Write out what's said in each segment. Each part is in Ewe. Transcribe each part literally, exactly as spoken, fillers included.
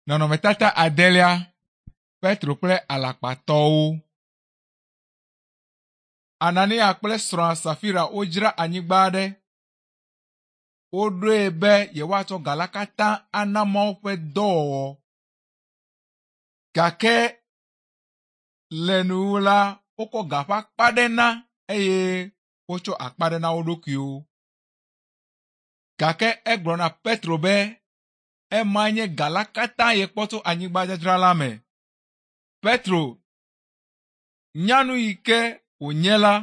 Nɔnɔmetata adelia, Petro kple alakpatɔwo. Anania kple srɔ̃a Safira wodzra anyigba aɖe. Woɖoe be yewoatsɔ ga la katã ana Mawu ƒe dɔwɔwɔ. Gake le nuwuwu la, wokɔ ga ƒe akpa ɖe na eye wotsɔ akpa ɖe na wo ɖokuiwo. Gake egblɔ na Petro be ema nye ga la katã yekpɔ tso anyigbadzadzra la me. Petro nya nu yi ke wònye la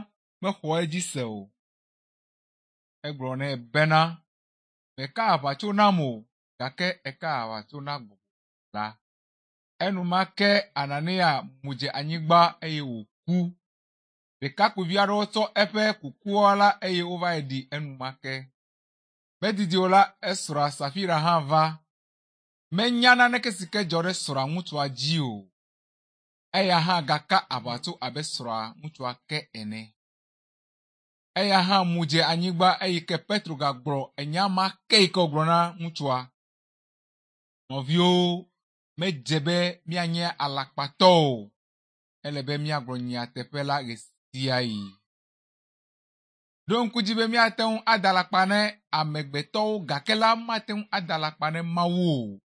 mexɔ edzi se o. Egblɔ nɛ bena, mèka aʋatso nam o gake èka aʋatso na gbɔgbɔ la. Enumake Anania mu dze anyigba eye wòku. Ɖekakpuivi aɖewo tsɔ eƒe kukua la eye wova yi ɖi enumake. Medidi o la, esrɔ̃a Safira hã va. Menya naneke si ke dzɔ ɖe srɔ̃a ŋutsua dzi o. Eya hã gaka aʋatso abe srɔ̃a ŋutsua ke ene. Eya hã mu dze anyigba eyi ke Petro gagblɔ enya ma ke yi ke wògblɔ na ŋutsua. Nɔviwo, medze be míanye alakpatɔ o. Ele be míagblɔ nyateƒe la ɣe sia ɣi. Ɖo ŋku dzi be míate ŋu ada alakpa ne amegbetɔwo gake la mate ŋu ada alakpa ne Mawu o.